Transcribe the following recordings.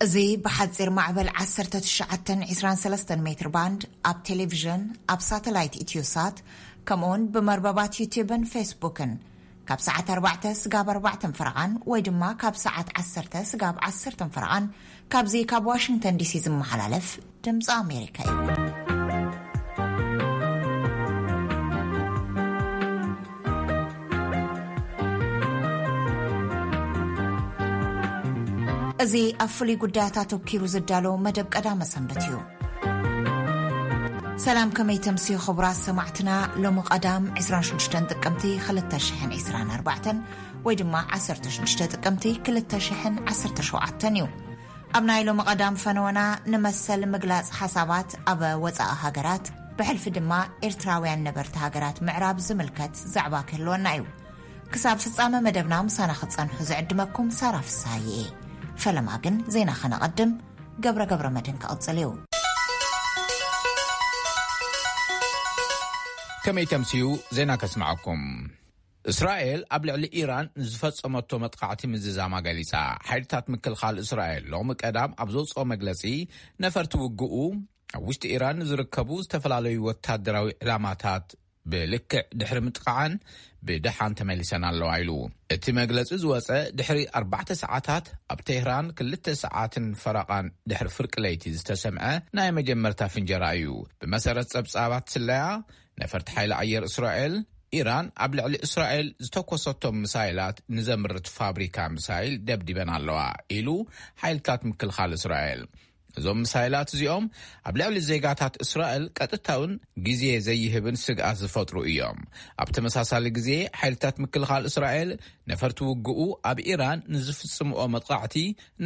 እዚ ብሓጺር ማዕበል ዓሰርተ ትሽዓተ ዕስራን ሰለስተን ሜትር ባንድ፣ ኣብ ቴሌቪዥን፣ ኣብ ሳተላይት ኢትዮሳት፣ ከምኡውን ብመርበባት ዩቲዩብን ፌስቡክን ካብ ሰዓት ኣርባዕተ ስጋብ ኣርባዕተን ፈረቓን ወይ ድማ ካብ ሰዓት ዓሰርተ ስጋብ ዓሰርተን ፈረቓን ካብዚ ካብ ዋሽንግተን ዲሲ ዝመሓላለፍ ድምፂ ኣሜሪካ እዩ። እዚ ኣብ ፍሉይ ጉዳያት ኣተኲሩ ዝዳሎ መደብ ቀዳመ ሰንበት እዩ። ሰላም፣ ከመይ ተምስዩ ክቡራት ሰማዕትና? ሎሚ ቀዳም ዕስራን ሽዱሽተን ጥቅምቲ ክልተ ሽሕን ዕስራን ኣርባዕተን ወይ ድማ ዓሰርተ ሽዱሽተ ጥቅምቲ ክልተ ሽሕን ዓሰርተ ሸውዓተን እዩ። ኣብ ናይ ሎሚ ቀዳም ፈነወና ንመሰል ምግላጽ ሓሳባት ኣብ ወጻኢ ሃገራት ብሕልፊ ድማ ኤርትራውያን ነበርቲ ሃገራት ምዕራብ ዝምልከት ዛዕባ ክህልወና እዩ። ክሳብ ፍጻመ መደብና ምሳና ክትጸንሑ ዝዕድመኩም ሳራ ፍስሃየ እየ። ፈለማ ግን ዜና ከነቐድም ገብረ ገብረ መድህን ክቕጽል እዩ። ከመይ ተምስዩ ዜና ከስምዓኩም። እስራኤል ኣብ ልዕሊ ኢራን ንዝፈጸመቶ መጥቃዕቲ ምዝዛማ ገሊጻ። ሓይልታት ምክልኻል እስራኤል ሎሚ ቀዳም ኣብ ዘውጽኦ መግለጺ፣ ነፈርቲ ውግኡ ኣብ ውሽጢ ኢራን ንዝርከቡ ዝተፈላለዩ ወታደራዊ ዕላማታት ብልክዕ ድሕሪ ምጥቃዓን ብደሓን ተመሊሰን ኣለዋ ኢሉ። እቲ መግለጺ ዝወጸ ድሕሪ ኣርባዕተ ሰዓታት ኣብ ቴህራን ክልተ ሰዓትን ፈረቓን ድሕሪ ፍርቂ ለይቲ ዝተሰምዐ ናይ መጀመርታ ፍንጀራ እዩ። ብመሰረት ጸብጻባት ስለያ፣ ነፈርቲ ሓይሊ ኣየር እስራኤል፣ ኢራን ኣብ ልዕሊ እስራኤል ዝተኮሰቶም ሚሳይላት ንዘምርት ፋብሪካ ሚሳይል ደብዲበን ኣለዋ ኢሉ ሓይልታት ምክልኻል እስራኤል። እዞም ሚሳይላት እዚኦም ኣብ ልዕሊ ዜጋታት እስራኤል ቀጥታውን ግዜ ዘይህብን ስግኣት ዝፈጥሩ እዮም። ኣብ ተመሳሳሊ ግዜ፣ ሓይልታት ምክልኻል እስራኤል ነፈርቲ ውግኡ ኣብ ኢራን ንዝፍጽምኦ መጥቃዕቲ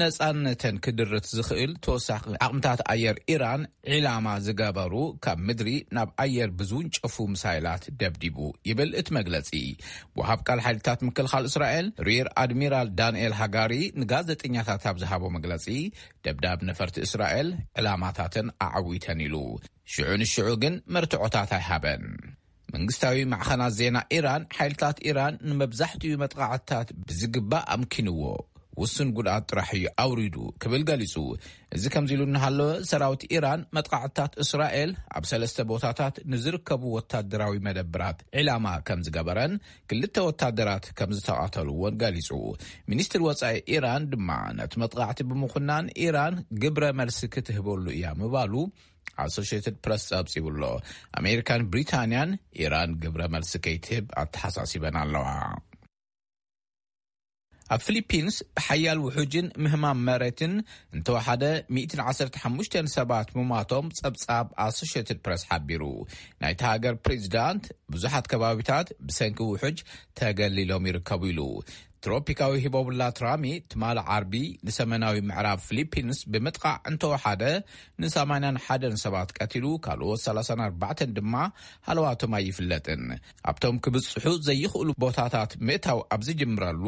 ነጻነተን ክድርት ዝኽእል ተወሳኺ ዓቕምታት ኣየር ኢራን ዒላማ ዝገበሩ ካብ ምድሪ ናብ ኣየር ብዝውንጨፉ ሚሳይላት ደብዲቡ፣ ይብል እቲ መግለጺ። ወሃብ ቃል ሓይልታት ምክልኻል እስራኤል ሪር ኣድሚራል ዳንኤል ሃጋሪ ንጋዜጠኛታት ኣብ ዝሃቦ መግለጺ፣ ደብዳብ ነፈርቲ እስራኤል ዕላማታተን ኣዓዊተን ኢሉ። ሽዑ ንሽዑ ግን መርትዖታት ኣይሃበን። መንግስታዊ ማዕኸናት ዜና ኢራን፣ ሓይልታት ኢራን ንመብዛሕትኡ መጥቃዕትታት ብዝግባእ ኣምኪንዎ፣ ውሱን ጉድኣት ጥራሕ እዩ ኣውሪዱ ክብል ገሊጹ። እዚ ከምዚ ኢሉ እናሃለወ፣ ሰራዊት ኢራን መጥቃዕትታት እስራኤል ኣብ ሰለስተ ቦታታት ንዝርከቡ ወታደራዊ መደብራት ዒላማ ከም ዝገበረን ክልተ ወታደራት ከም ዝተቓተልዎን ገሊጹ። ሚኒስትር ወጻኢ ኢራን ድማ ነቲ መጥቃዕቲ ብምኹናን፣ ኢራን ግብረ መልሲ ክትህበሉ እያ ምባሉ ኣሶሽየትድ ፕረስ ጸብጺቡ ኣሎ። ኣሜሪካን ብሪታንያን ኢራን ግብረ መልሲ ከይትህብ ኣተሓሳሲበን ኣለዋ። ኣብ ፊሊፒንስ ብሓያል ውሑጅን ምህማም መሬትን እንተወሓደ ሚእትን ዓሰርተ ሓሙሽተን ሰባት ምሟቶም ጸብጻብ ኣሶሽየትድ ፕረስ ሓቢሩ። ናይታ ሃገር ፕሬዚዳንት ብዙሓት ከባቢታት ብሰንኪ ውሑጅ ተገሊሎም ይርከቡ ኢሉ። ትሮፒካዊ ሂቦብላ ትራሚ ትማሊ ዓርቢ ንሰሜናዊ ምዕራብ ፊሊፒንስ ብምጥቃዕ እንተወሓደ ንሰማንያን ሓደን ሰባት ቀቲሉ፣ ካልኦት ሰላሳን ኣርባዕተን ድማ ሃለዋቶም ኣይፍለጥን። ኣብቶም ክብጽሑ ዘይኽእሉ ቦታታት ምእታው ኣብ ዝጅምረሉ፣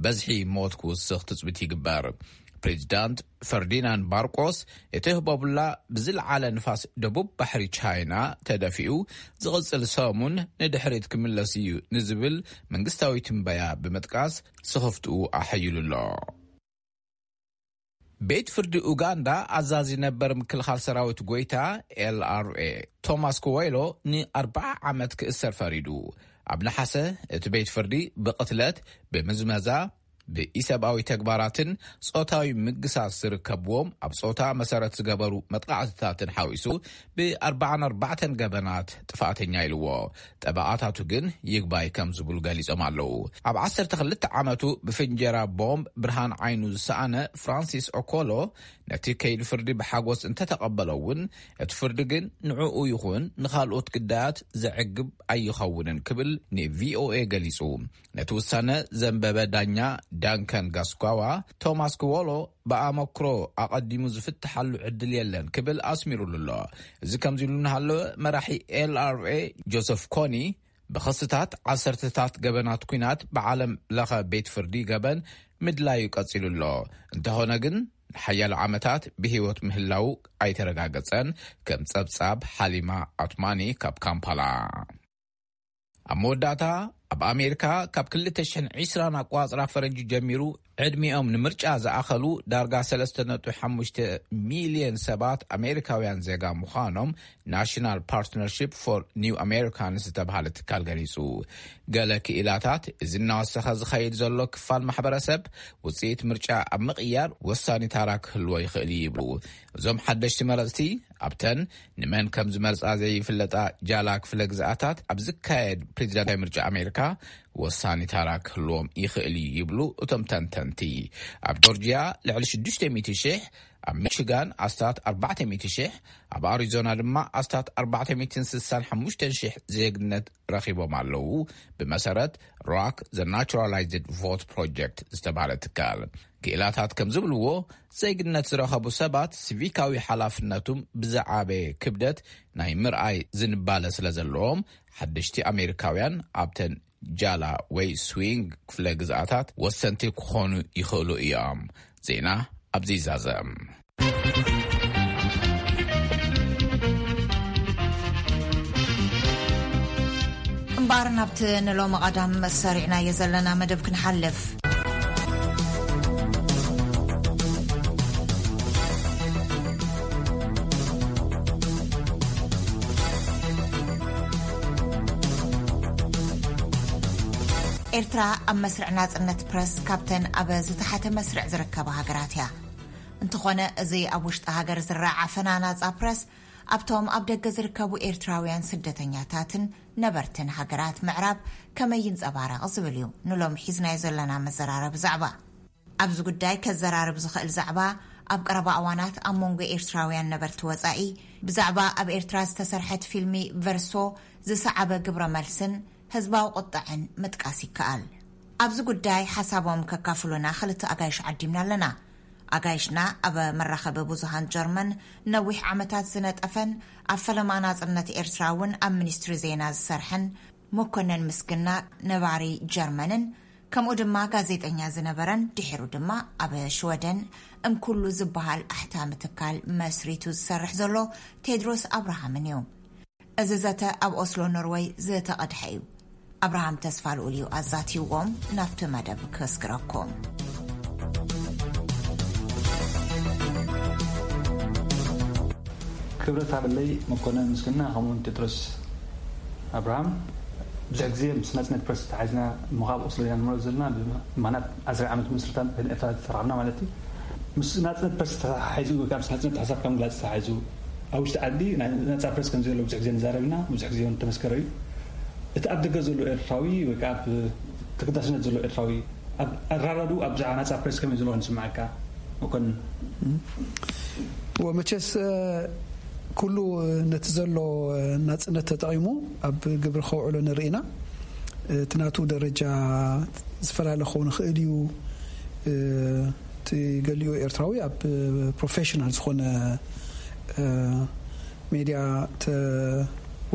በዝሒ ሞት ክውስኽ ትጽቢት ይግበር። ፕሬዚዳንት ፈርዲናንድ ማርቆስ፣ እቲ ህቦብላ ብዝለዓለ ንፋስ ደቡብ ባሕሪ ቻይና ተደፊኡ፣ ዝቕጽል ሰሙን ንድሕሪት ክምለስ እዩ ንዝብል መንግስታዊ ትንበያ ብምጥቃስ፣ ስኽፍትኡ ኣሐይሉ ኣሎ። ቤት ፍርዲ ኡጋንዳ፣ ኣዛዚ ነበር ምክልኻል ሰራዊት ጎይታ፣ ኤልኣርኤ፣ ቶማስ ኮወይሎ ንኣርብዓ ዓመት ክእሰር ፈሪዱ። ኣብ ነሓሰ፣ እቲ ቤት ፍርዲ ብቕትለት፣ ብምዝመዛ፣ ብኢሰብኣዊ ተግባራትን ጾታዊ ምግሳስ ዝርከብዎም ኣብ ጾታ መሰረት ዝገበሩ መጥቃዕትታትን ሓዊሱ ብኣርባዓን ኣርባዕተን ገበናት ጥፋኣተኛ ኢልዎ። ጠበቓታቱ ግን ይግባይ ከም ዝብሉ ገሊጾም ኣለዉ። ኣብ ዓሰርተ ክልተ ዓመቱ ብፍንጀራ ቦምብ ብርሃን ዓይኑ ዝሰኣነ ፍራንሲስ ኦኮሎ ነቲ ከይዲ ፍርዲ ብሓጎስ እንተተቐበሎ እውን፣ እቲ ፍርዲ ግን ንዕኡ ይኹን ንኻልኦት ግዳያት ዘዕግብ ኣይኸውንን ክብል ንቪኦኤ ገሊጹ። ነቲ ውሳነ ዘንበበ ዳኛ ዳንከን ጋስኳዋ፣ ቶማስ ክዎሎ ብኣመክሮ ኣቐዲሙ ዝፍትሓሉ ዕድል የለን ክብል ኣስሚሩሉ ኣሎ። እዚ ከምዚ ኢሉ እናሃለወ፣ መራሒ ኤልኣርኤ ጆሰፍ ኮኒ፣ ብኸስታት ዓሰርተታት ገበናት ኲናት ብዓለም ለኸ ቤት ፍርዲ ገበን ምድላዩ ቀጺሉ ኣሎ። እንተኾነ ግን፣ ንሓያሎ ዓመታት ብህይወት ምህላዉ ኣይተረጋገጸን፣ ከም ጸብጻብ ሓሊማ ኣትማኒ ካብ ካምፓላ። ኣብ መወዳእታ፣ ኣብ ኣሜሪካ ካብ ክልተ ሽሕን ዕስራን ኣቋጽራ ፈረንጂ ጀሚሩ ዕድሚኦም ንምርጫ ዝኣኸሉ ዳርጋ ሰለስተ ነጥቢ ሓሙሽተ ሚልዮን ሰባት ኣሜሪካውያን ዜጋ ምዃኖም ናሽናል ፓርትነርሺፕ ፎር ኒው ኣሜሪካንስ ዝተባሃለ ትካል ገሊጹ። ገለ ክኢላታት፣ እዚ እናወሰኸ ዝኸይድ ዘሎ ክፋል ማሕበረሰብ ውጽኢት ምርጫ ኣብ ምቕያር ወሳኒ ታራ ክህልዎ ይኽእል እዩ ይብሉ። እዞም ሓደሽቲ መረጽቲ፣ ኣብተን ንመን ከም ዝመርጻ ዘይፍለጣ ጃላ ክፍለ ግዝኣታት ኣብ ዝካየድ ፕሬዚዳንታዊ ምርጫ ኣሜሪካ ወሳኒ ታራ ክህልዎም ይኽእል እዩ ይብሉ እቶም ተንተንቲ። ኣብ ጆርጂያ ልዕሊ ሽዱሽተ ሚእቲ ሽሕ፣ ኣብ ሚቺጋን ኣስታት ኣርባዕተ ሚእቲ ሽሕ፣ ኣብ ኣሪዞና ድማ ኣስታት ኣርባዕተ ሚእትን ስሳን ሓሙሽተን ሽሕ ዜግነት ረኺቦም ኣለዉ፣ ብመሰረት ሮክ ዘ ናቹራላይዝድ ቮት ፕሮጀክት ዝተባህለ ትካል። ክኢላታት ከም ዝብልዎ፣ ዜግነት ዝረኸቡ ሰባት ሲቪካዊ ሓላፍነቱም ብዝዓበየ ክብደት ናይ ምርኣይ ዝንባለ ስለ ዘለዎም፣ ሓደሽቲ ኣሜሪካውያን ኣብተን ጃላ ወይ ስዊንግ ክፍለ ግዝኣታት ወሰንቲ ክኾኑ ይኽእሉ እዮም። ዜና ኣብዚ ይዛዘም። እምበኣር ናብቲ ንሎሚ ቀዳም ሰሪዕናዮ ዘለና መደብ ክንሓልፍ። ኤርትራ ኣብ መስርዕ ናጽነት ፕረስ ካብተን ኣብ ዝተሓተ መስርዕ ዝርከባ ሃገራት እያ። እንተኾነ፣ እዚ ኣብ ውሽጢ ሃገር ዝረኣ ዓፈና ናጻ ፕረስ ኣብቶም ኣብ ደገ ዝርከቡ ኤርትራውያን ስደተኛታትን ነበርትን ሃገራት ምዕራብ ከመይ ይንጸባረቕ ዝብል እዩ ንሎም ሒዝናዮ ዘለና መዘራረቢ ዛዕባ። ኣብዚ ጉዳይ ከዘራርብ ዝኽእል ዛዕባ፣ ኣብ ቀረባ እዋናት ኣብ መንጎ ኤርትራውያን ነበርቲ ወጻኢ ብዛዕባ ኣብ ኤርትራ ዝተሰርሐት ፊልሚ ቨርሶ ዝሰዓበ ግብረ መልስን ህዝባዊ ቁጥዕን ምጥቃስ ይከኣል። ኣብዚ ጉዳይ ሓሳቦም ከካፍሉና ክልተ ኣጋይሽ ዓዲምና ኣለና። ኣጋይሽና ኣብ መራኸቢ ብዙሃን ጀርመን ነዊሕ ዓመታት ዝነጠፈን ኣብ ፈለማ ናጽነት ኤርትራ እውን ኣብ ሚኒስትሪ ዜና ዝሰርሐን መኮነን ምስግና፣ ነባሪ ጀርመንን ከምኡ ድማ ጋዜጠኛ ዝነበረን ድሒሩ ድማ ኣብ ሽወደን እምኩሉ ዝበሃል ኣሕታሚ ትካል መስሪቱ ዝሰርሕ ዘሎ ቴድሮስ ኣብርሃምን እዩ። እዚ ዘተ ኣብ ኦስሎ ኖርወይ ዝተቐድሐ እዩ። ኣብርሃም ተስፋ ልኡል እዩ ኣዛትይዎም። ናብቲ መደብ ከስግረኩም። ክብረት ሃበለይ መኮነን ምስግና ከምኡውን ቴድሮስ ኣብርሃም። ብዙሕ ግዜ ምስ ናጽነት ፕረስ ተታሒዝና እሞ ካብ ኦስሎ ኢና ንመርፅ ዘለና። ብማናት ዓስር ዓመት ምስርታ ኤርትራ ተራኽብና ማለት እዩ። ምስ ናጽነት ፕረስ ተታሒዙ ወይ ከዓ ምስ ናጽነት ሓሳብ ካብ ምግላፅ ተታሒዙ ኣብ ውሽጢ ዓዲ ናይ ናጻ ፕረስ ከም ዘሎ ብዙሕ ግዜ ንዛረብ ኢና። ብዙሕ ግዜ እውን ተመስከረ እዩ። እቲ ኣብ ደገ ዘሎ ኤርትራዊ ወይ ከዓ ኣብ ተገዳስነት ዘሎ ኤርትራዊ ኣብ ኣራዳዱ ኣብ ብዛዕባ ናጻ ፕረስ ከመይ ዘሎ ንስምዓካ መኮንን? ወመቸስ ኩሉ ነቲ ዘሎ ናጽነት ተጠቒሙ ኣብ ግብሪ ከውዕሎ ንርኢ ኢና። እቲ ናቱ ደረጃ ዝፈላለ ክኸውን ይኽእል እዩ። እቲ ገሊኡ ኤርትራዊ ኣብ ፕሮፌሽናል ዝኾነ ሜድያ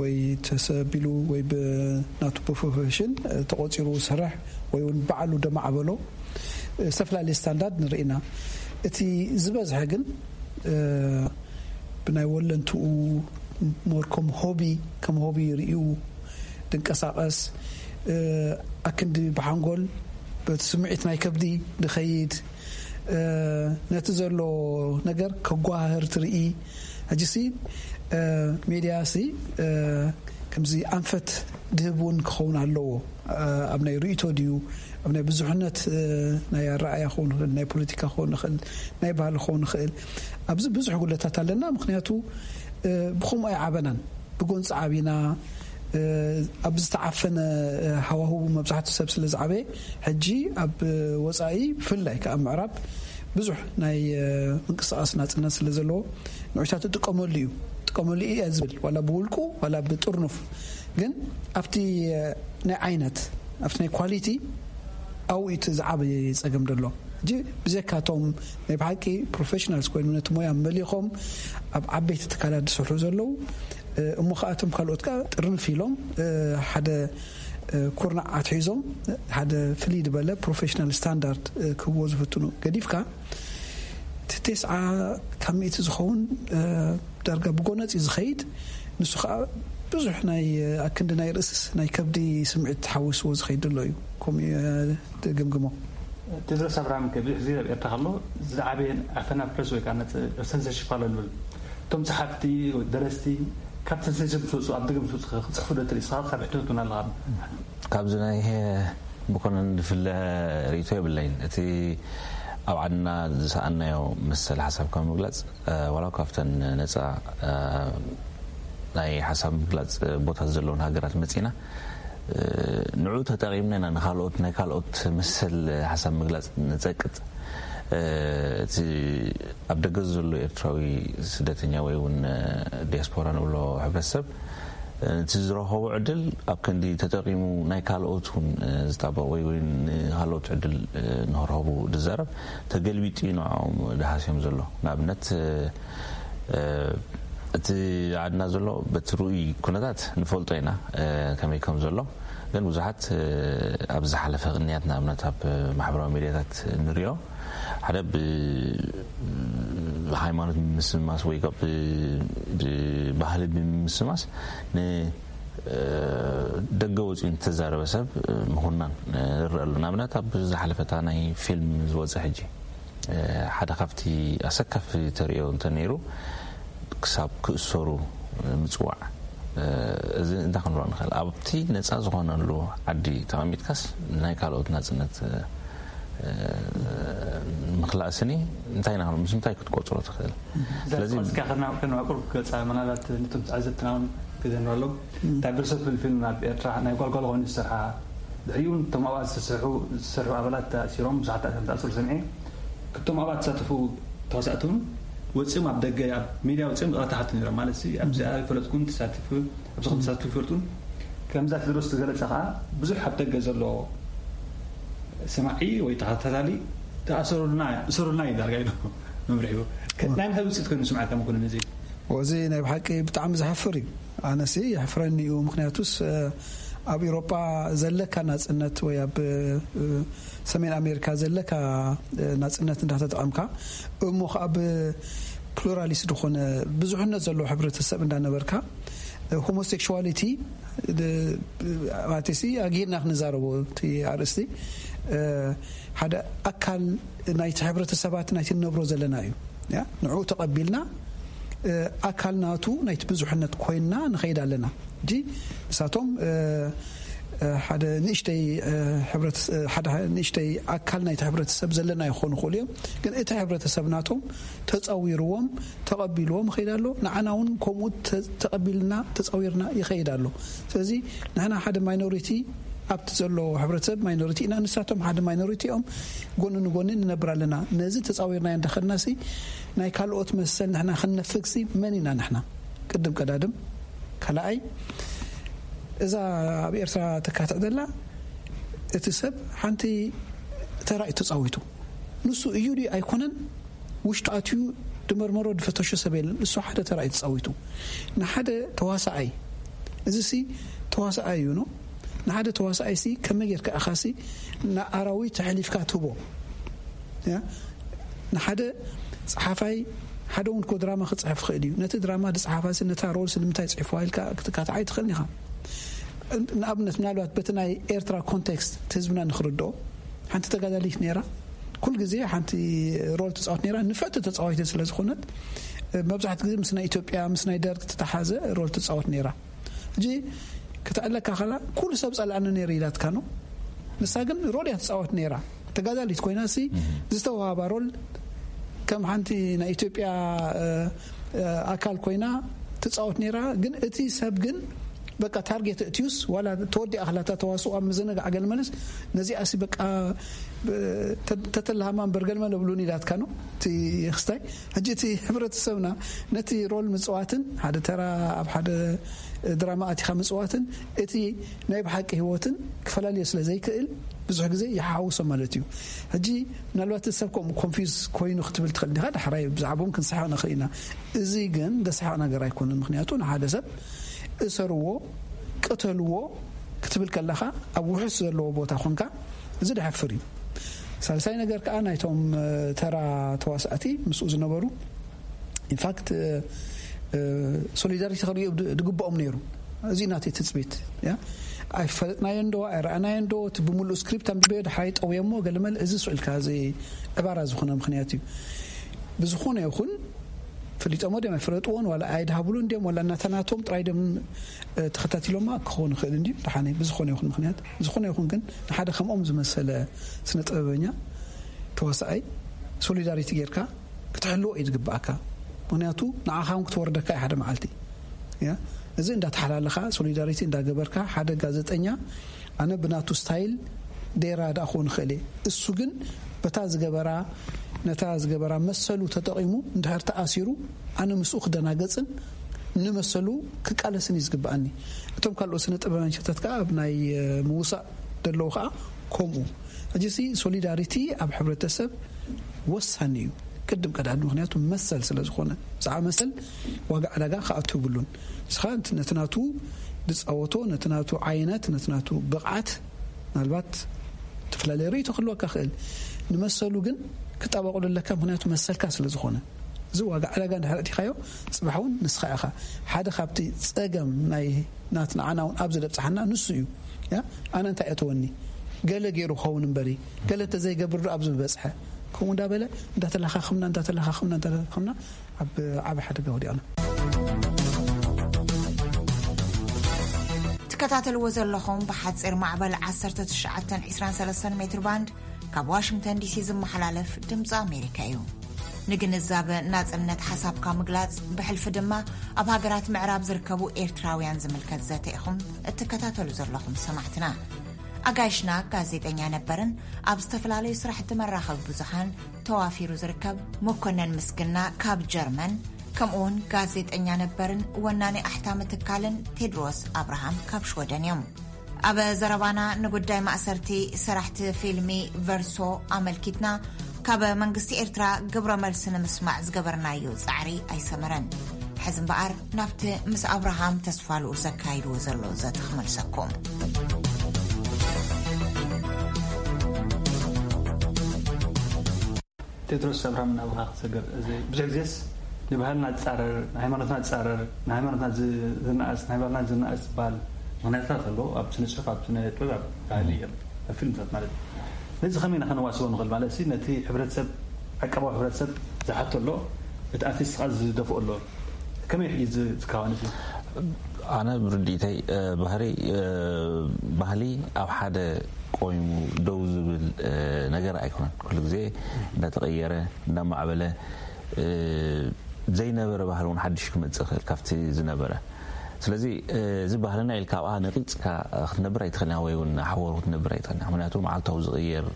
ወይ ተሰቢሉ ወይ ብናቱ ፕሮፌሽን ተቆፂሩ ዝሰርሕ ወይ እውን ባዕሉ ደማዕበሎ ዝተፈላለየ ስታንዳርድ ንርኢ ኢና። እቲ ዝበዝሐ ግን ብናይ ወለንትኡ ሞር ከም ሆቢ ከም ሆቢ ርእዩ ድንቀሳቐስ ኣክንዲ ብሓንጎል በቲ ስምዒት ናይ ከብዲ ድኸይድ ነቲ ዘሎ ነገር ከጓህር ትርኢ። ሕጂሲ ሜድያ ሲ ከምዚ ኣንፈት ድህብ እውን ክኸውን ኣለዎ። ኣብ ናይ ርእይቶ ድዩ ኣብ ናይ ብዙሕነት ናይ ኣረኣያ ክኸውን ይኽእል፣ ናይ ፖለቲካ ክኸውን ይኽእል፣ ናይ ባህሊ ክኸውን ይኽእል። ኣብዚ ብዙሕ ጉድለታት ኣለና። ምክንያቱ ብኸምኡ ኣይዓበናን። ብጎንፂ ዓቢና ኣብ ዝተዓፈነ ሃዋህው መብዛሕትኡ ሰብ ስለ ዝዓበየ ሕጂ ኣብ ወፃኢ ብፍላይ ከዓ ኣብ ምዕራብ ብዙሕ ናይ ምንቅስቃስ ናፅነት ስለ ዘለዎ ንዑታት እጥቀመሉ እዩ እጥቀመሉ እየ ዝብል ዋላ ብውልቁ ዋላ ብጥርኑፍ ግን ኣብቲ ናይ ዓይነት ኣብቲ ናይ ኳሊቲ ኣብኡ እቲ ዝዓበየ ፀገም ዘሎ ሕጂ ብዘካ እቶም ናይ ብሓቂ ፕሮፌሽናልስ ኮይኑ ነቲ ሞያ መሊኾም ኣብ ዓበይቲ ትካላት ዝሰርሑ ዘለዉ እሞ ከኣቶም ካልኦት ከዓ ጥርንፍ ኢሎም ሓደ ኩርናዕ ኣትሒዞም ሓደ ፍልይ ዝበለ ፕሮፌሽናል ስታንዳርድ ክህብዎ ዝፍትኑ ገዲፍካ እቲ ቴስዓ ካብ ሚእቲ ዝኸውን ዳርጋ ብጎነፂ ዝኸይድ ንሱ ከዓ ብዙሕ ናይ ኣክንዲ ናይ ርእስስ ናይ ከብዲ ስምዒት ተሓዊስዎ ዝኸይድ ዘሎ እዩ። ከምኡ እየ ትግምግሞ? ቴድሮስ ኣብርሃም ከ ብዙሕ ግዜ ኣብ ኤርትራ ከሎ ዝዓበየ ኣፈናፍረስ ወይ ከዓ censorship ኣሎ ንብል። እቶም ጸሓፍቲ ወይ ደረስቲ ካብ censorship ምስ ወፁ ኣብ ደገ ምስ ወፁ ክፅሕፉ ዶ ትርኢ? ንስኻ ካብ ሕትመት እውን ኣለኻ። ካብዚ ናይ ብኮነን ዝፍለ ርእይቶ የብለይን። እቲ ኣብ ዓድና ዝሰኣናዮ መሰል ሓሳብካ ምግላፅ ዋላ ካብተን ነፃ ናይ ሓሳብ ምግላፅ ቦታት ዘለውን ሃገራት መፂና ንዑ ተጠቂምና ኢና ንካልኦት ናይ ካልኦት መሰል ሓሳብ ምግላፅ ንፀቅጥ። እቲ ኣብ ደገ ዘሎ ኤርትራዊ ስደተኛ ወይ እውን ዲያስፖራ ንብሎ ሕብረተሰብ እቲ ዝረኸቦ ዕድል ኣብ ክንዲ ተጠቂሙ ናይ ካልኦት እውን ዝጣበቕ ወይ ወይ ንካልኦት ዕድል ንክረኸቡ ዝዛረብ ተገልቢጡ እዩ ንዕኦም ድሃስዮም ዘሎ። ንኣብነት እቲ ዓድና ዘሎ በቲ ርኡይ ኩነታት ንፈልጦ ኢና ከመይ ከም ዘሎ። ግን ብዙሓት ኣብ ዝሓለፈ ቅንያት ንኣብነት ኣብ ማሕበራዊ ሚዲያታት ንሪኦ ሓደ ብሃይማኖት ብምስማስ ወይ ብባህሊ ብምስማስ ንደገ ወፂኡ ንተዛረበ ሰብ ምኹናን ንርኢ ኣሎ። ንኣብነት ኣብ ዝሓለፈታ ናይ ፊልም ዝወፀ ሕጂ ሓደ ካብቲ ኣሰካፊ ተርእዮ እንተነይሩ ክሳብ ክእሰሩ ምፅዋዕ። እዚ እንታይ ክንብሎ ንኽእል? ኣብቲ ነፃ ዝኾነሉ ዓዲ ተቐሚጥካስ ናይ ካልኦት ናፅነት ምኽላእስኒ እንታይ ኢና ምስ ምንታይ ክትቆፅሮ ትኽእል? ስለዚ ከነዋቅር ገፃ ምናልባት ነቶም ተዓዘብትና እውን ግዜ ንረሎም እንታይ ብርሰት ብል ፊልም ኣብ ኤርትራ ናይ ጓልጓል ኮይኑ ዝሰርሓ ድሕሪኡ እውን እቶም ኣብኣ ዝሰርሑ ኣባላት ተኣሲሮም ብዙሓት ተኣሲሮም ተኣስሩ ሰምዐ። ክቶም ኣብኣ ተሳተፉ ተዋሳእቲ እውን ወፂኦም ኣብ ደገ ኣብ ሚድያ ወፂኦም ይቕረታ ሓቱ ነይሮም ማለት ሲ ኣብዚ ኣይፈለጥኩን ተሳቲፉ ኣብዚ ከም ተሳቲፉ ይፈልጡን ከምዛ ቴድሮስ ዝገለፀ ከዓ ብዙሕ ኣብ ደገ ዘሎ ሰማዒ ወይ ተኸታታሊ ተኣሰሩልና እሰሩልና እዩ ዳርጋ ኢሉ መምርሒዎ ናይ ምንታይ ውፅኢት ኮይኑ ስምዓካ መኮንን እዚ ወዚ ናይ ብሓቂ ብጣዕሚ ዘሕፍር እዩ። ኣነሲ የሕፍረኒ እዩ። ምክንያቱስ ኣብ ኤሮጳ ዘለካ ናጽነት ወይ ኣብ ሰሜን ኣሜሪካ ዘለካ ናጽነት እንዳተጠቐምካ እሞ ከዓ ብፕሉራሊስት ዝኾነ ብዙሕነት ዘለዎ ሕብረተሰብ እንዳነበርካ ሆሞሴክሹዋሊቲ ማለትሲ ኣግሂድና ክንዛረቦ እቲ ኣርእስቲ ሓደ ኣካል ናይቲ ሕብረተሰባት ናይቲ ንነብሮ ዘለና እዩ። ንዑ ተቐቢልና ኣካል ናቱ ናይቲ ብዙሕነት ኮይንና ንኸይድ ኣለና። እጂ ንሳቶም ሓደ ንእሽተይ ንእሽተይ ኣካል ናይቲ ሕብረተሰብ ዘለና ይኾኑ ክእሉ እዮም። ግን እቲ ሕብረተሰብ ናቶም ተፃዊርዎም ተቐቢልዎም ይኸይድ ኣሎ። ንዓና እውን ከምኡ ተቐቢልና ተፃዊርና ይኸይድ ኣሎ። ስለዚ ንሕና ሓደ ማይኖሪቲ ኣብቲ ዘሎ ሕብረተሰብ ማይኖሪቲ ኢና። ንሳቶም ሓደ ማይኖሪቲ እዮም። ጎኒ ንጎኒ ንነብር ኣለና። ነዚ ተፃዊርናዮ እንዳኸድና ሲ ናይ ካልኦት መሰል ንሕና ክንነፍግ ሲ መን ኢና ንሕና? ቅድም ቀዳድም ካልኣይ እዛ ኣብ ኤርትራ ተካትዕ ዘላ እቲ ሰብ ሓንቲ ተራ እዩ ተፃዊቱ። ንሱ እዩ ድዩ ኣይኮነን ውሽጡ ኣትዩ ድመርመሮ ድፈተሾ ሰብ የለን። እሱ ሓደ ተራ እዩ ተፃዊቱ። ንሓደ ተዋሳኣይ እዚ ሲ ተዋሳኣይ እዩ ነው ንሓደ ተዋሳኣይ ሲ ከመይ ጌርካ ኢኻ ሲ ንኣራዊት ተሕሊፍካ ትህቦ ንሓደ ጸሓፋይ ሓደ እውን ኮ ድራማ ክጽሕፍ ይኽእል እዩ። ነቲ ድራማ ዝጸሓፋ ሲ ነታ ሮል ሲ ንምንታይ ጽሕፍዋ ኢልካ ክትካትዓ ኣይትኽእልን ኢኻ። ንኣብነት ምናልባት በቲ ናይ ኤርትራ ኮንቴክስት እቲ ህዝብና ንኽርድኦ ሓንቲ ተጋዳሊት ነይራ። ኩል ግዜ ሓንቲ ሮል ትጻወት ነይራ። ንፍዕቲ ተጻዋይተ ስለ ዝኾነት መብዛሕቲ ግዜ ምስ ናይ ኢትዮጵያ ምስ ናይ ደርግ ተተሓዘ ሮል ትጻወት ነይራ። ሕጂ ክትዕለካ ከላ ኩሉ ሰብ ጸላእኒ ነይሩ ኢላትካ ነው። ንሳ ግን ሮል እያ ትጻወት ነይራ። ተጋዳሊት ኮይና ሲ ዝተዋሃባ ሮል ከም ሓንቲ ናይ ኢትዮጵያ ኣካል ኮይና ትጻወት ነይራ። ግን እቲ ሰብ ግን በቃ ታርጌት እትዩስ ዋላ ተወዲኣ ከላታ ተዋስኦ ኣብ ምዝንጋዕ ገለ መለስ ነዚኣ ሲ በቃ ተተላሃማ እምበር ገልመ ለብሉን ኢላትካ ነው እቲ ክስታይ። ሕጂ እቲ ሕብረተሰብና ነቲ ሮል ምፅዋትን ሓደ ተራ ኣብ ሓደ ድራማ ኣቲኻ ምፅዋትን እቲ ናይ ብሓቂ ህይወትን ክፈላለዮ ስለ ዘይክእል ብዙሕ ግዜ ይሓውሶ ማለት እዩ። ሕጂ ምናልባት እቲ ሰብ ከምኡ ኮንፊዝ ኮይኑ ክትብል ትኽእል ዲኻ ዳሕራይ ብዛዕባኦም ክንስሕቕ ንኽእል ኢና። እዚ ግን ደስሓቕ ነገር ኣይኮነን። ምክንያቱ ንሓደ ሰብ እሰርዎ ቅተልዎ ክትብል ከለኻ ኣብ ውሑስ ዘለዎ ቦታ ኮንካ እዚ ደሕፍር እዩ። ሳልሳይ ነገር ከዓ ናይቶም ተራ ተዋሳእቲ ምስኡ ዝነበሩ ኢንፋክት ሶሊዳሪቲ ክርእዩ ዝግብኦም ነይሩ። እዚ ናተይ ትጽቢት እያ። ኣይፈለጥናዮ እንዶ ኣይረኣናዮ እንዶ እቲ ብምሉእ ስክሪፕት ኣንቢበዮ ድሓይ ጠውየሞ ገለመል እዚ ስዕልካ እዚ ዕባራ ዝኾነ ምኽንያት እዩ። ብዝኾነ ይኹን ፈሊጦሞ ድዮም ኣይፈለጥዎን ዋላ ኣይድሃብሉን ድዮም ዋላ እናተናቶም ጥራይ ድዮም ተኸታቲሎማ ክኸውን ይኽእል እንዲ ደሓነ ብዝኾነ ይኹን ምኽንያት ዝኾነ ይኹን ግን ንሓደ ከምኦም ዝመሰለ ስነ ጥበበኛ ተዋሳኣይ ሶሊዳሪቲ ጌርካ ክትሕልዎ እዩ ዝግባኣካ። ምክንያቱ ንዓኻ እውን ክትወርደካ እዩ ሓደ መዓልቲ። ያ፣ እዚ እንዳተሓላለኻ ሶሊዳሪቲ እንዳገበርካ ሓደ ጋዜጠኛ ኣነ ብናቱ ስታይል ዴራ ዳ ክኾን ይኽእል እየ። እሱ ግን በታ ዝገበራ ነታ ዝገበራ መሰሉ ተጠቒሙ እንድሕር ተኣሲሩ ኣነ ምስኡ ክደናገጽን ንመሰሉ ክቃለስን እዩ ዝግባኣኒ። እቶም ካልኦት ስነ ጥበባንሸታት ከዓ ኣብ ናይ ምውሳእ ደለዉ ከዓ ከምኡ። ሕጂ ሲ ሶሊዳሪቲ ኣብ ሕብረተሰብ ወሳኒ እዩ። ቅድም ቀዳድ ምክንያቱ መሰል ስለ ዝኾነ ብዛዕባ መሰል ዋጋ ዕዳጋ ክኣቱ ይብሉን። ንስኻ ነቲ ናቱ ዝፃወቶ ነቲ ናቱ ዓይነት ነቲ ናቱ ብቕዓት ምናልባት ዝተፈላለየ ርእይቶ ክህልወካ ክእል ንመሰሉ ግን ክጣበቑሉ ኣለካ ምክንያቱ መሰልካ ስለ ዝኾነ እዚ ዋጋ ዕዳጋ እንድሕር ኣእቲኻዮ ፅባሕ እውን ንስኻ ኢኻ ሓደ ካብቲ ፀገም ናይ ናት ንዓና እውን ኣብዚ ደብፅሓና ንሱ እዩ። ያ ኣነ እንታይ እተወኒ ገለ ገይሩ ክኸውን እምበሪ ገለ እንተዘይገብር ዶ ኣብዚ ምበፅሐ ከምኡ እንዳበለ እንዳተለኻኸምና እንዳተለኻኸምና እንዳተለኻኸምና ኣብ ዓቢ ሓደጋ ወዲቕና። ትከታተልዎ ዘለኹም ብሓፂር ማዕበል ዓሰርተ ትሽዓተ ዕስራን ሰለስተን ሜትር ባንድ ካብ ዋሽንግተን ዲሲ ዝመሓላለፍ ድምፂ ኣሜሪካ እዩ። ንግንዛበ ናፅነት ሓሳብካ ምግላፅ ብሕልፊ ድማ ኣብ ሃገራት ምዕራብ ዝርከቡ ኤርትራውያን ዝምልከት ዘተ ኢኹም እትከታተሉ ዘለኹም ሰማዕትና። ኣጋይሽና ጋዜጠኛ ነበርን ኣብ ዝተፈላለዩ ስራሕቲ መራኸቢ ብዙሃን ተዋፊሩ ዝርከብ መኮነን ምስግና ካብ ጀርመን ከምኡውን ጋዜጠኛ ነበርን ወናኒ ኣሕታሚ ትካልን ቴድሮስ ኣብርሃም ካብ ሽወደን እዮም። ኣብ ዘረባና ንጉዳይ ማእሰርቲ ሰራሕቲ ፊልሚ ቨርሶ ኣመልኪትና ካብ መንግስቲ ኤርትራ ግብረ መልሲ ንምስማዕ ዝገበርናዮ ጻዕሪ ኣይሰመረን። ሕዚ እምበኣር ናብቲ ምስ ኣብርሃም ተስፋልኡ ዘካይድዎ ዘሎ ዘተ ክመልሰኩም። ቴድሮስ ኣብርሃም ናብኻ ክሰገር እዚ ብዙሕ ግዜስ ንባህልና ዝፃረር ንሃይማኖትና ዝፃረር ንሃይማኖትና ዝነኣስ ናይ ባህልና ዝነኣስ ዝበሃል ምክንያታት ኣሎ ኣብ ስነ ፅሑፍ ኣብ ስነ ጥበብ ኣብ ባህሊ እዮም ኣብ ፊልምታት ማለት ነዚ ከመይ ኢና ከነዋስቦ ንኽእል ማለት ሲ ነቲ ሕብረተሰብ ዓቀባዊ ሕብረተሰብ ዝሓቶ ኣሎ እቲ ኣርቲስት ከዓ ዝደፍኦ ኣሎ ከመይ ሕጂ ዝካዋን እዚ ኣነ ብርዲኢተይ ባህሪ ባህሊ ኣብ ሓደ ቆይሙ ደው ዝብል ነገር ኣይኮነን። ኩሉ ግዜ እንዳተቐየረ እንዳማዕበለ ዘይነበረ ባህሊ እውን ሓድሽ ክመፅእ ይኽእል ካብቲ ዝነበረ። ስለዚ እዚ ባህልና ኢልካ ኣብኣ ነቒፅካ ክትነብር ኣይትኽእልን ወይ እውን ሓወሩ ክትነብር ኣይትኽእልን። ምክንያቱ መዓልታዊ ዝቕየር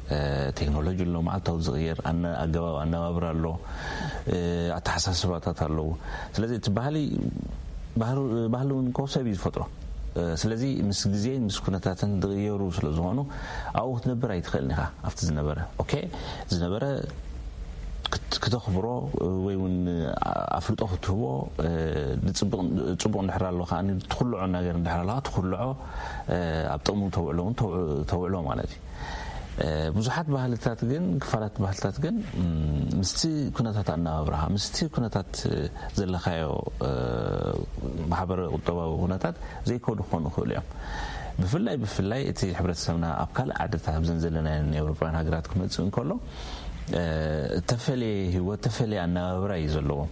ቴክኖሎጂ ኣሎ፣ መዓልታዊ ዝቕየር ኣገባብ ኣነባብራ ኣሎ፣ ኣተሓሳስባታት ኣለዉ። ስለዚ እቲ ባህሊ ባህሉ እውን እኮ ሰብ እዩ ዝፈጥሮ። ስለዚ ምስ ግዜን ምስ ኩነታትን ዝቕየሩ ስለ ዝኾኑ ኣብኡ ክትነብር ኣይትኽእልን ኢኻ። ኣብቲ ዝነበረ ኦኬ ዝነበረ ክተኽብሮ ወይ እውን ኣፍልጦ ክትህቦ ፅቡቕ እንድሕር ኣሎ ከዓ ትኩልዖ ነገር እንድሕር ኣለካ ትኩልዖ ኣብ ጥቕሙ ተውዕሎ እውን ተውዕሎ ማለት እዩ። ብዙሓት ባህልታት ግን ክፋላት ባህልታት ግን ምስቲ ኩነታት ኣነባብራኻ ምስቲ ኩነታት ዘለካዮ ማሕበረ ቁጠባዊ ኩነታት ዘይከዱ ክኾኑ ይኽእሉ እዮም። ብፍላይ ብፍላይ እቲ ሕብረተሰብና ኣብ ካልእ ዓድታት ኣብዘን ዘለናየን ኤውሮጳውያን ሃገራት ክመፅእ እንከሎ እተፈለየ ህይወት እተፈለየ ኣነባብራ እዩ ዘለዎም።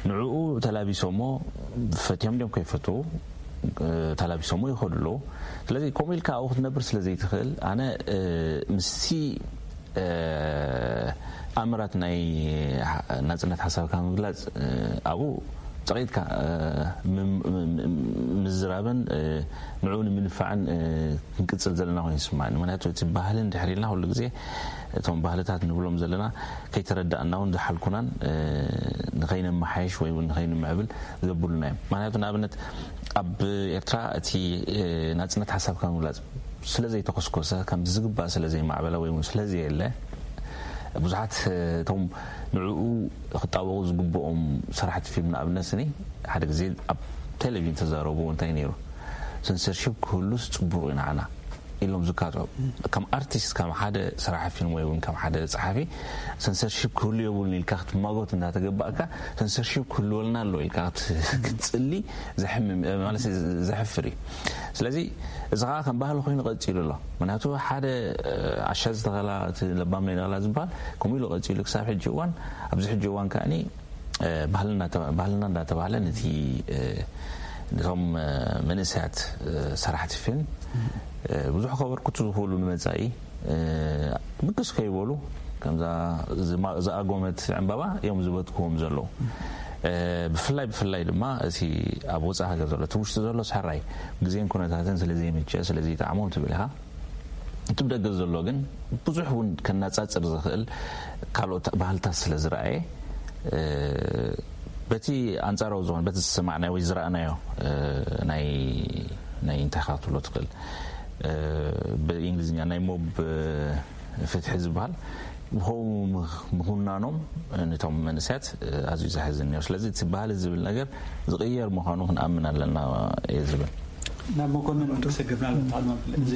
ንዕኡ ተላቢሶሞ ፈትዮም ድዮም ከይፈትዉ ተላቢሶሞ ይኸዱ ኣለዉ። ስለዚ ከምኡ ኢልካ ኣብኡ ክትነብር ስለ ዘይትኽእል ኣነ ምስቲ ኣምራት ናይ ናፅነት ሓሳብካ ምግላፅ ኣብኡ ፀቒጥካ ምዝራብን ንዕኡ ንምንፋዕን ክንቅፅል ዘለና ኮይኑ ይስማዕኒ። ምክንያቱ እቲ ባህሊ እንድሕር ኢልና ኩሉ ግዜ እቶም ባህልታት ንብሎም ዘለና ከይተረዳእና እውን ዝሓልኩናን ንኸይነመሓየሽ ወይ እውን ንኸይንምዕብል ዘብሉና እዮም። ምክንያቱ ንኣብነት ኣብ ኤርትራ እቲ ናፅነት ሓሳብካ ምግላፅ ስለ ዘይተኮስኮሰ ከም ዝግባእ ስለ ዘይማዕበለ ወይ እውን ስለ ዘየለ ብዙሓት እቶም ንዕኡ ክጣበቑ ዝግብኦም ሰራሕቲ ፊልም ንኣብነት ስኒ ሓደ ግዜ ኣብ ቴሌቪዥን ተዛረቡ እንታይ ነይሩ ሰንሰርሺፕ ክህሉስ ፅቡቕ እዩ ንዓና ኢሎም ዝካትዑ። ከም ኣርቲስት፣ ከም ሓደ ሰራሒ ፊልም ወይ እውን ከም ሓደ ጸሓፊ ሰንሰርሺፕ ክህሉ የብሉን ኢልካ ክትማጎት እንዳተገባእካ፣ ሰንሰርሺፕ ክህልወልና ኣሎ ኢልካ ክትጽሊ ዘሕምም ማለት ዘሕፍር እዩ። ስለዚ እዚ ከዓ ከም ባህሊ ኮይኑ ቀጺሉ ኣሎ። ምክንያቱ ሓደ ዓሻ ዝተኸላ እቲ ለባም ናይ ነቕላ ዝበሃል ከምኡ ኢሉ ቀጺሉ ክሳብ ሕጂ እዋን። ኣብዚ ሕጂ እዋን ከዓኒ ባህልና እንዳተባህለ ነቲ ነቶም መንእሰያት ሰራሕቲ ፊልም ብዙሕ ከበርክቱ ዝኽእሉ ንመጻኢ ምቅስ ከይበሉ ከምዛ ዝኣጎመት ዕምባባ እዮም ዝበትክዎም ዘለዉ። ብፍላይ ብፍላይ ድማ እቲ ኣብ ወፃኢ ሃገር ዘሎ እቲ ውሽጢ ዘሎ ሳራይ ግዜን ኩነታትን ስለዘይምቸ ስለዘይጠዓሞም ትብል ኢኻ። እቲ ብደገ ዘሎ ግን ብዙሕ እውን ከናጻጽር ዝኽእል ካልኦት ባህልታት ስለ ዝረኣየ በቲ ኣንጻራዊ ዝኾነ በቲ ዝሰማዕናዮ ወይ ዝረኣናዮ ናይ ናይ እንታይ ካ ትብሎ ትኽእል ብእንግሊዝኛ ናይ ሞብ ፍትሒ ዝበሃል ብኸው ምኹናኖም ነቶም መንእሰያት ኣዝዩ ዘሕዝን እዩ። ስለዚ እቲ ባህሊ ዝብል ነገር ዝቕየር ምዃኑ ክንኣምን ኣለና እየ ዝብል። ናብ መኮንን ክሰግርና ኣለና። እዚ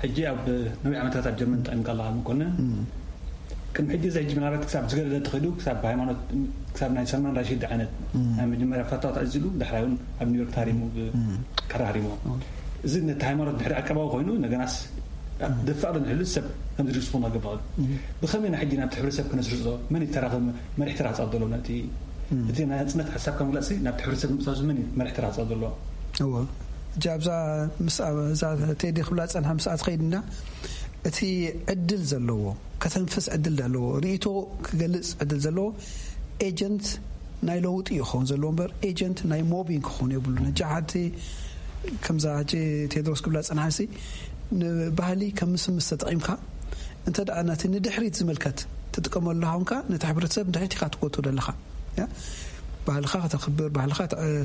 ሕጂ ኣብ ነዊሕ ዓመታት ኣብ ጀርመን ጠቒምካ ኣለኻ መኮንን። ቅድሚ ሕጂ እዚ ሕጂ ምናልባት ክሳብ ዝገደደ ተኸይዱ ክሳብ ሃይማኖት ክሳብ ናይ ሰልማን ራሺድ ዓይነት ናይ መጀመርያ ፈታው ተኣዚሉ ዳሕራይ እውን ኣብ ኒውዮርክ ታሪሙ ብከራሪሞ እዚ ነቲ ሃይማኖት ድሕሪ ዕቀባዊ ኮይኑ እንደገናስ ደፋቕ ንሕሉ ሰብ ከም ዝርስፉ ናገባሉ ብኸመይ ና ሕጂ ናብቲ ሕብረተሰብ ክነስርጾ መን ይተራኸብ መሪሕ ተራ ክጻወት ዘሎ ነቲ እቲ ናይ ናጽነት ሓሳብ ከም ግላጽ ናብቲ ሕብረተሰብ ምጻሱ መን መሪሕ ተራ ክጻወት ዘሎ እወ እጃ ኣብዛ ምስ እዛ ቴዲ ክብላ ጸንሓ ምስኣ ትኸይድና እቲ ዕድል ዘለዎ ከተንፍስ ዕድል ኣለዎ። ርእይቶ ክገልጽ ዕድል ዘለዎ ኤጀንት ናይ ለውጢ ይኸውን ዘለዎ እምበር ኤጀንት ናይ ሞቢንግ ክኸውን የብሉ። ነጃ ሓንቲ ከምዛ ሕጂ ቴድሮስ ክብላ ጽንሓሲ ንባህሊ ከም ምስምስ ተጠቒምካ እንተ ደኣ ነቲ ንድሕሪት ዝምልከት ትጥቀመሉ ሃውንካ ነቲ ሕብረተሰብ ንድሕሪት ኢኻ ትጎቶ ዘለኻ። ባህልኻ ከተኽብር፣ ባህልኻ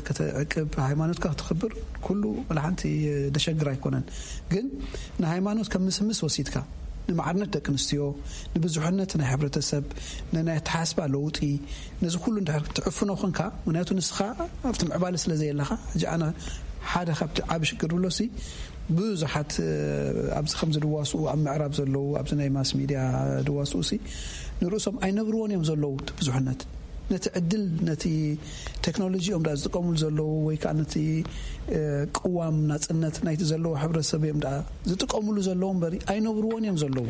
ከተዕቅብ፣ ሃይማኖትካ ከተኽብር ኩሉ ወላ ሓንቲ ደሸግር ኣይኮነን። ግን ንሃይማኖት ከም ምስምስ ወሲድካ ንማዕርነት ደቂ ኣንስትዮ፣ ንብዙሕነት ናይ ሕብረተሰብ፣ ንናይ ኣተሓስባ ለውጢ፣ ነዚ ኩሉ እንድሕር ትዕፍኖ ኮንካ፣ ምክንያቱ ንስኻ ኣብቲ ምዕባለ ስለ ዘየለኻ፣ ሕጂ ኣነ ሓደ ካብቲ ዓቢ ሽግር ብሎሲ ብዙሓት ኣብዚ ከም ዝድዋስኡ ኣብ ምዕራብ ዘለዉ ኣብዚ ናይ ማስ ሚድያ ድዋስኡ ሲ ንርእሶም ኣይነብርዎን እዮም ዘለዉ እቲ ብዙሕነት ነቲ ዕድል ነቲ ቴክኖሎጂ እዮም ዳ ዝጥቀሙሉ ዘለዉ ወይ ከዓ ነቲ ቅዋም ናፅነት ናይቲ ዘለዉ ሕብረተሰብ እዮም ዳ ዝጥቀሙሉ ዘለዉ እምበሪ ኣይነብርዎን እዮም ዘለዉ።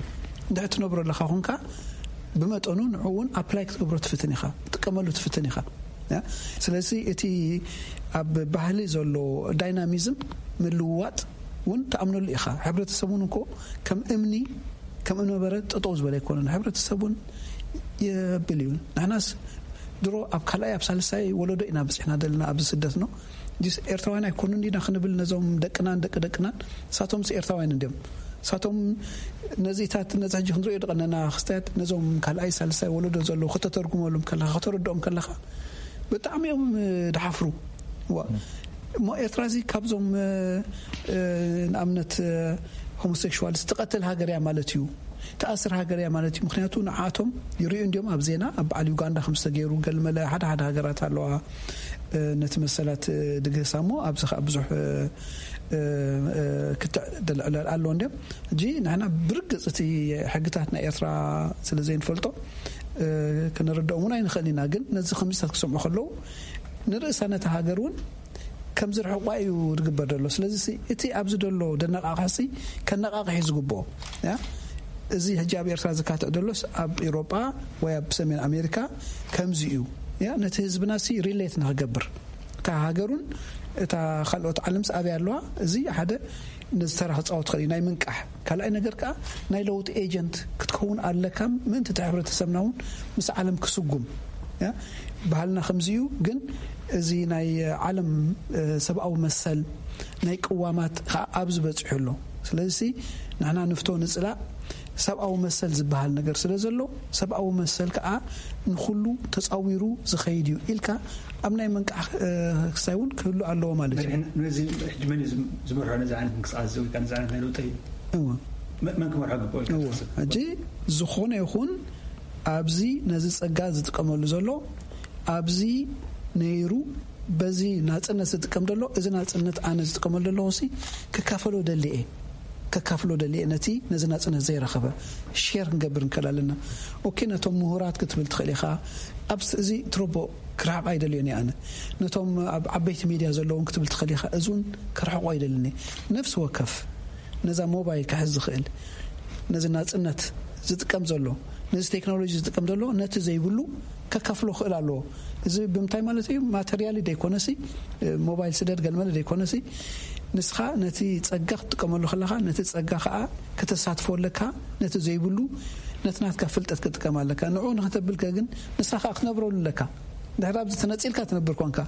እንድሕር ትነብሮ ኣለካ ኮንካ ብመጠኑ ንዑ እውን ኣፕላይ ክትገብሮ ትፍትን ኢኻ፣ ትጥቀመሉ ትፍትን ኢኻ። ስለዚ እቲ ኣብ ባህሊ ዘሎ ዳይናሚዝም ምልውዋጥ እውን ትኣምነሉ ኢኻ። ሕብረተሰብ እውን እኮ ከም እምኒ ከም እምነበረድ ጠጠው ዝበለ ኣይኮነን። ሕብረተሰብ እውን የብል እዩ። ንሕናስ ድሮ ኣብ ካልኣይ ኣብ ሳልሳይ ወለዶ ኢና በፂሕና ዘለና ኣብዚ ስደት ነው። ዲስ ኤርትራውያን ኣይኮኑን ዲና ክንብል ነዞም ደቅናን ደቂ ደቅናን እሳቶምስ ኤርትራውያን እንዲዮም። እሳቶም ነዚታት ነዚ ሕጂ ክንሪኦ ደቐነና ክስታያት ነዞም ካልኣይ ሳልሳይ ወለዶ ዘለዉ ከተተርጉመሎም ከለኻ ከተረድኦም ከለኻ ብጣዕሚ እዮም ድሓፍሩ። እሞ ኤርትራ እዚ ካብዞም ንኣብነት ሆሞሴክሽዋልስ ትቐትል ሃገር እያ ማለት እዩ፣ ትኣስር ሃገር እያ ማለት እዩ። ምክንያቱ ንዓቶም ይርእዩ እንዲዮም ኣብ ዜና ኣብ በዓል ዩጋንዳ ከም ዝተገይሩ ገልመለ ሓደ ሓደ ሃገራት ኣለዋ ነቲ መሰላት ድግህሳ እሞ ኣብዚ ከዓ ብዙሕ ክትዕ ድልዕለል ኣሎ እንዲዮም። ሕጂ ንሕና ብርግፅ እቲ ሕግታት ናይ ኤርትራ ስለ ዘይንፈልጦ ክንርድኦም እውን ኣይንኽእል ኢና። ግን ነዚ ከምዚታት ክሰምዑ ከለዉ ንርእሳ ነቲ ሃገር እውን ከም ዝርሕቋ እዩ ዝግበር ዘሎ። ስለዚ እቲ ኣብዚ ዘሎ ደነቃቕሕሲ ከነቃቕሕ እዩ ዝግብኦ። እዚ ሕጂ ኣብ ኤርትራ ዝካትዕ ዘሎስ ኣብ ኤሮጳ ወይ ኣብ ሰሜን ኣሜሪካ ከምዚ እዩ። ነቲ ህዝብና ሲ ሪሌት ንክገብር እታ ሃገሩን እታ ካልኦት ዓለምስ ኣበይ ኣለዋ? እዚ ሓደ ነዚ ተራ ክፃወት ክእል እዩ ናይ ምንቃሕ። ካልኣይ ነገር ከዓ ናይ ለውጢ ኤጀንት ክትከውን ኣለካ ምእንቲ እቲ ሕብረተሰብና እውን ምስ ዓለም ክስጉም። ባህልና ከምዚ እዩ። ግን እዚ ናይ ዓለም ሰብኣዊ መሰል ናይ ቅዋማት ከዓ ኣብዚ በፂሑ ኣሎ። ስለዚ ንሕና ንፍቶ ንፅላእ ሰብኣዊ መሰል ዝበሃል ነገር ስለ ዘሎ ሰብኣዊ መሰል ከዓ ንኩሉ ተፃዊሩ ዝኸይድ እዩ ኢልካ ኣብ ናይ መንቃሕ ክስታይ እውን ክህሉ ኣለዎ ማለት እዩ። ነዚ ሕጂ መን እዩ ዝም- ዝመርሖ ነዚ ዓይነት ምንቅስቃስ እዚ ወይ ከዓ ነዚ ዓይነት ናይ ለውጢ እወ መ- መን ክመርሖ ግብኦ ኢልካ እወ ትሓስብ? ሕጂ ዝኾነ ይኹን ኣብዚ ነዚ ፀጋ ዝጥቀመሉ ዘሎ ኣብዚ ነይሩ በዚ ናፅነት ዝጥቀም ዘሎ እዚ ናፅነት ኣነ ዝጥቀመሉ ዘለኹ ሲ ክካፈሎ ደሊ እየ። ከካፍሎ ደልየ ነቲ ነዚ ናጽነት ዘይረኸበ ሼር ክንገብር ንክእል ኣለና። ኦኬ፣ ነቶም ምሁራት ክትብል ትኽእል ኢኻ። ኣብ እዚ ትረቦ ክርሕቕ ኣይደልዮን እየ ኣነ። ነቶም ኣብ ዓበይቲ ሚድያ ዘለውን ክትብል ትኽእል ኢኻ። እዚ እውን ክርሕቑ ኣይደልን እየ። ነፍሲ ወከፍ ነዛ ሞባይል ክሕዝ ዝኽእል፣ ነዚ ናጽነት ዝጥቀም ዘሎ፣ ነዚ ቴክኖሎጂ ዝጥቀም ዘሎ፣ ነቲ ዘይብሉ ከካፍሎ ክእል ኣለዎ። እዚ ብምንታይ ማለት እዩ? ማተርያሊ ደይኮነሲ፣ ሞባይል ስደድ ገልመለ ደይኮነሲ፣ ንስኻ ነቲ ጸጋ ክትጥቀመሉ ከለኻ፣ ነቲ ጸጋ ከኣ ከተሳትፎ ኣለካ። ነቲ ዘይብሉ፣ ነቲ ናትካ ፍልጠት ክትጥቀም ኣለካ። ንዕኡ ንክተብልከ ግን ንስኻ ከኣ ክትነብረሉ ኣለካ። ድሕር ኣብዚ ተነጺልካ ትነብር ኮንካ፣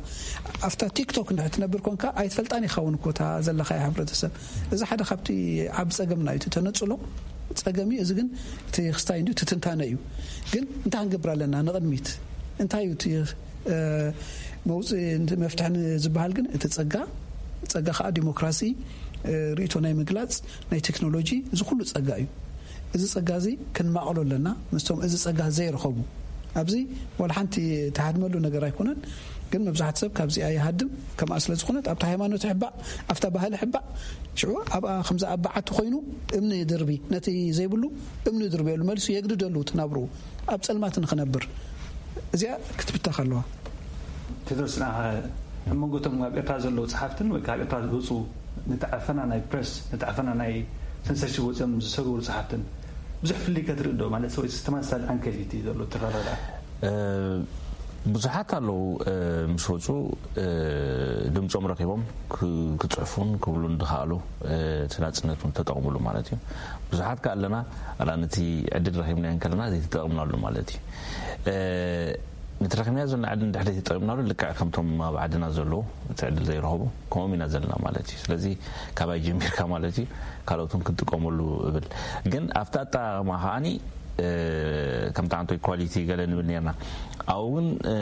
ኣብታ ቲክቶክ እንድሕር ትነብር ኮንካ፣ ኣይትፈልጣን ኢኻ እውን እኮ እታ ዘለኻያ ሕብረተሰብ። እዚ ሓደ ካብቲ ዓቢ ጸገምና እዩ፣ እቲ ተነጽሎ ጸገም እዩ። እዚ ግን እቲ ክስታይ እንድዩ፣ እቲ ትንታነ እዩ። ግን እንታይ ክንገብር ኣለና ንቕድሚት? እንታይ እዩ እቲ፣ እ፣ መውጽኢ፣ መፍትሒ ዝበሃል ግን እቲ ጸጋ፣ ጸጋ ከኣ ዲሞክራሲ፣ እ፣ ርእይቶ ናይ ምግላጽ፣ ናይ ቴክኖሎጂ፣ እዚ ኩሉ ጸጋ እዩ። እዚ ጸጋ እዚ ክንማቐሎ ኣለና፣ ምስቶም እዚ ጸጋ ዘይረኸቡ። ኣብዚ ዋላ ሓንቲ ትሃድመሉ ነገር ኣይኮነን፣ ግን መብዛሕትኡ ሰብ ካብዚኣ ይሃድም። ከምኣ ስለ ዝኾነት ኣብታ ሃይማኖት ይሕባእ፣ ኣብታ ባህሊ ይሕባእ። ሽዑ ኣብኣ ከምዛ ኣብ በዓቲ ኮይኑ እምኒ ድርቢ፣ ነቲ ዘይብሉ እምኒ ድርብየሉ፣ መሊሱ የግድደሉ እቲ ናብርኡ። ኣብ ጸልማት ንኽነብር እዚኣ ክትብተኽ ኣለዋ። ቴድሮስ፣ ንዓኻ ኣብ መንጎ እቶም ኣብ ኤርትራ ዘለዉ ጸሓፍትን ወይ ካብ ኤርትራ ዝወጹ ነቲ ዓፈና ናይ ፕረስ፣ ነቲ ዓፈና ናይ ሰንሰርሺፕ ወጺኦም ዝሰግሩ ጸሓፍትን ብዙሕ ፍልልይ ከትርኢ ዶ? ማለት ወይ ተመሳሳሊ ዓንኬል እዩ እቲ ዘሎ ትረዳዳእ? እ፣ ብዙሓት ኣለዉ፣ እ፣ ምስ ወጹ፣ እ፣ ድምጾም ረኺቦም ክ-፣ ክጽሕፉን ክብሉን ዝኸኣሉ፣ እ፣ እቲ ናጽነት እውን ተጠቕምሉ ማለት እዩ። ብዙሓት ከኣ ኣለና፣ ኣላ ነቲ ዕድል ረኺብናዮ እንከለና ዘይተጠቐምናሉ ማለት እዩ። እ፣ ነቲ ረኺብናዮ ዘለና ዕድል እንድሕር ዘይተጠቒምናሉ፣ ልክዕ ከምቶም ኣብ ዓድና ዘለዉ እቲ ዕድል ዘይረኸቡ፣ ከምኦም ኢና ዘለና ማለት እዩ። ስለዚ ካባይ ጀሚርካ ማለት እዩ፣ ካልኦት እውን ክጥቀመሉ እብል። ግን ኣብቲ ኣጠቓቕማ ከኣኒ፣ እ፣ ከምቲ ዓንቶ ኢኳሊቲ ገለ ንብል ነርና። ኣብኡ እውን፣ እ፣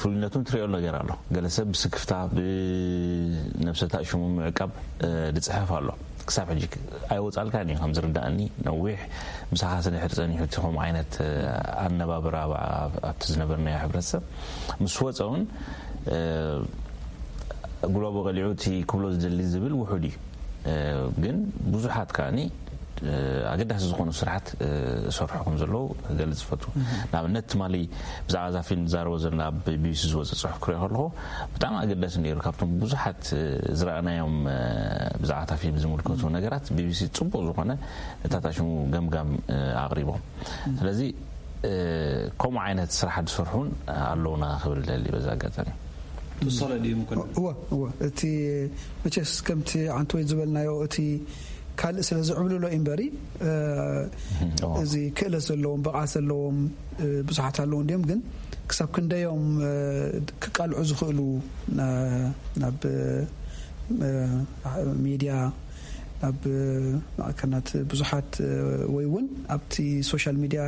ፍሉይነቱ ትሪኦ ነገር ኣሎ። ገለ ሰብ ብስክፍታ፣ ብነብሰ ታእሽሙ ምዕቃብ፣ እ፣ ዝጽሕፍ ኣሎ። ክሳብ ሕጂ ኣይወጻልካን እዩ፣ ከም ዝርዳእኒ። ነዊሕ ምሳኻ ስድሕር ጸኒሑ እቲ ከምኡ ዓይነት፣ እ፣ ኣነባብራ ኣብ-፣ ኣብ-፣ ኣብቲ ዝነበርናዮ ሕብረተሰብ ምስ ወጸ እውን፣ እ፣ ጉልባቡ ቀሊዑ እቲ ክብሎ ዝደሊ ዝብል ውሑድ እዩ። እ፣ ግን ብዙሓት ከኣኒ፣ እ፣ ኣገዳሲ ዝኾኑ ስራሓት፣ እ፣ ዝሰርሑ ከም ዘለዉ ክገልጽ ይፈቱ። ንኣብነት ትማሊ ብዛዕባ እዛ ፊልም ዝዛረቦ ዘለና ኣብ ቢ ቢ ሲ ዝወጸ ጽሑፍ ክሪኦ ከለኹ ብጣዕሚ ኣገዳሲ ነይሩ። ካብቶም ብዙሓት፣ እ፣ ዝረኣናዮም፣ እ፣ ብዛዕባ እታ ፊልም ዝምልከቱ ነገራት ቢ ቢ ሲ ጽቡቕ ዝኾነ ነታ ታሽሙ ገምጋም፣ እ፣ ኣቕሪቦም። ስለዚ፣ እ፣ ከምኡ ዓይነት ስራሕ ዝሰርሑን ኣለውና ክብል ደሊ በዛ ኣጋጣሚ። ትወሰሎ ድዩ ምኮነ? እወ፣ እወ። እቲ መቸስ ከምቲ ዓንተወይ ዝበልናዮ፣ እቲ ካልእ ስለ ዝዕብልሎ እዩ እምበሪ፣ እ፣ እወ። እዚ ክእለት ዘለዎም፣ ብቕዓት ዘለዎም፣ እ፣ ብዙሓት ኣለዉ እንድዮም፣ ግን ክሳብ ክንደዮም፣ እ፣ ክቃልዑ ዝኽእሉ ና-፣ ናብ፣ እ፣ ሚድያ፣ ናብ ማዕከናት ብዙሓት፣ እ፣ ወይ እውን ኣብቲ ሶሻል ሚድያ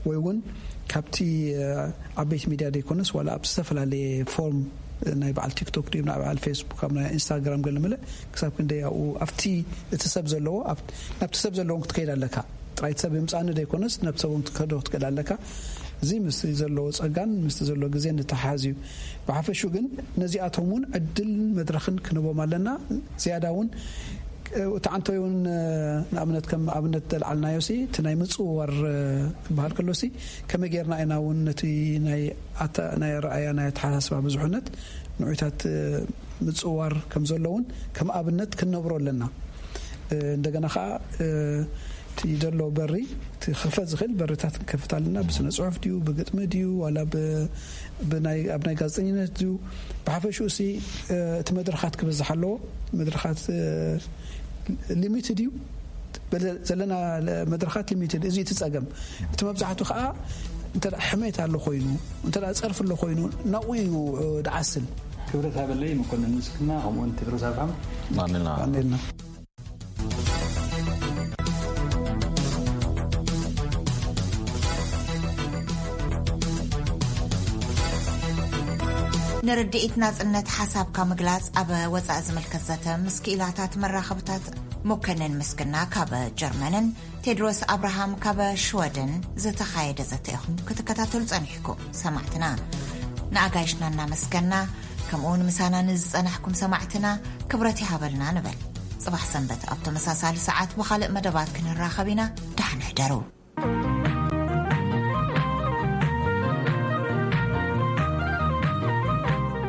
ወይ እውን ካብቲ፣ እ፣ ዓበይቲ ሚድያ ዘይኮነስ ዋላ ኣብ ዝተፈላለየ ፎርም፣ እ፣ ናይ በዓል ቲክቶክ ድዩ፣ ናይ በዓል ፌስቡክ፣ ኣብ ናይ ኢንስታግራም ገለ መለ ክሳብ ክንደይ ኣብኡ ኣብቲ እቲ ሰብ ዘለዎ ኣብ-፣ ናብቲ ሰብ ዘለዎም ክትከይድ ኣለካ። ጥራይ እቲ ሰብ የምጻኒ ዘይኮነስ ናብ ሰብ እውን ክትከዶ ክትክእል ኣለካ። እዚ ምስ ዘለዎ ጸጋን ምስቲ ዘለዎ ግዜን ዝተሓሓዝ እዩ። ብሓፈሹ ግን ነዚኣቶም እውን ዕድልን መድረኽን ክንህቦም ኣለና። ዝያዳ እውን እቲ ዓንቶይ እውን ንኣብነት ከም ኣብነት ተልዓልናዮ ሲ እቲ ናይ ምጽውዋር ክበሃል ከሎ ሲ ከመይ ጌርና ኢና እውን ነቲ ናይ ኣተ-፣ ናይ ኣረኣያ ናይ ኣተሓሳስባ ብዙሕነት ንዑታት ምጽውዋር ከም ዘሎ እውን ከም ኣብነት ክንነብሮ ኣለና። እንደገና ከዓ እቲ ዘሎ በሪ እቲ ክኽፈት ዝኽእል በርታት ክንከፍት ኣለና። ብስነ ጽሑፍ ድዩ፣ ብግጥሚ ድዩ፣ ዋላ ብ-፣ ብናይ፣ ኣብ ናይ ጋዜጠኝነት ድዩ? ብሓፈሽኡ ሲ እቲ መድረኻት ክበዝሕ ኣለዎ። መድረኻት ሊሚትድ እዩ። በለ-፣ ዘለና መድረኻት ሊሚትድ፣ እዚ እቲ ጸገም። እቲ መብዛሕቱ ከዓ እንተ ደኣ ሕሜት ኣሎ ኮይኑ፣ እንተ ደኣ ጸርፊ ኣሎ ኮይኑ፣ ናብኡ እዩ ድዓስል። ክብረት ሃበለይ መኮንን ምስክና፣ ከምኡውን ቴድሮስ ኣብርሃም። ማንና። ማንና። ንርድኢት ናጽነት ሓሳብካ ምግላጽ ኣብ ወጻኢ ዝምልከት ዘተ ምስ ክኢላታት መራኸብታት። መኮንን ምስግና ካብ ጀርመንን ቴድሮስ ኣብርሃም ካብ ሽወደን ዝተኻየደ ዘተ ኢኹም ክትከታተሉ ጸኒሕኩም ሰማዕትና። ንኣጋይሽና እናመስገና፣ ከምኡውን ምሳና ንዝጸናሕኩም ሰማዕትና ክብረት ይሃበልና ንበል። ጽባሕ ሰንበት ኣብ ተመሳሳሊ ሰዓት ብኻልእ መደባት ክንራኸብ ኢና። ደሓን ሕደሩ።